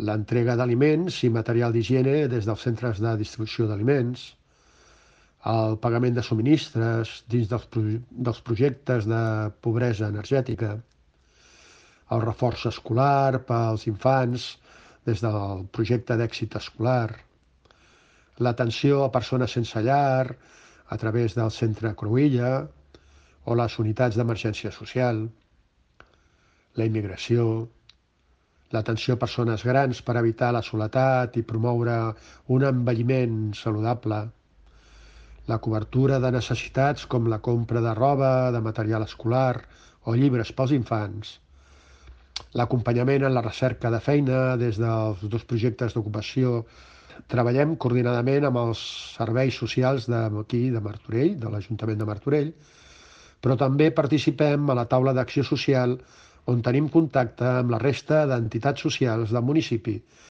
l'entrega d'aliments i material d'higiene des dels centres de distribució d'aliments, el pagament de subministres dins dels projectes de pobresa energètica, el reforç escolar pels infants des del projecte d'èxit escolar, l'atenció a persones sense llar a través del centre Cruïlla o les unitats d'emergència social, la immigració, l'atenció a persones grans per evitar la soledat i promoure un envelliment saludable, la cobertura de necessitats com la compra de roba, de material escolar o llibres pels infants, l'acompanyament en la recerca de feina des dels dos projectes d'ocupació. Treballem coordinadament amb els serveis socials d'aquí, de Martorell, de l'Ajuntament de Martorell, però també participem a la taula d'acció social on tenim contacte amb la resta d'entitats socials del municipi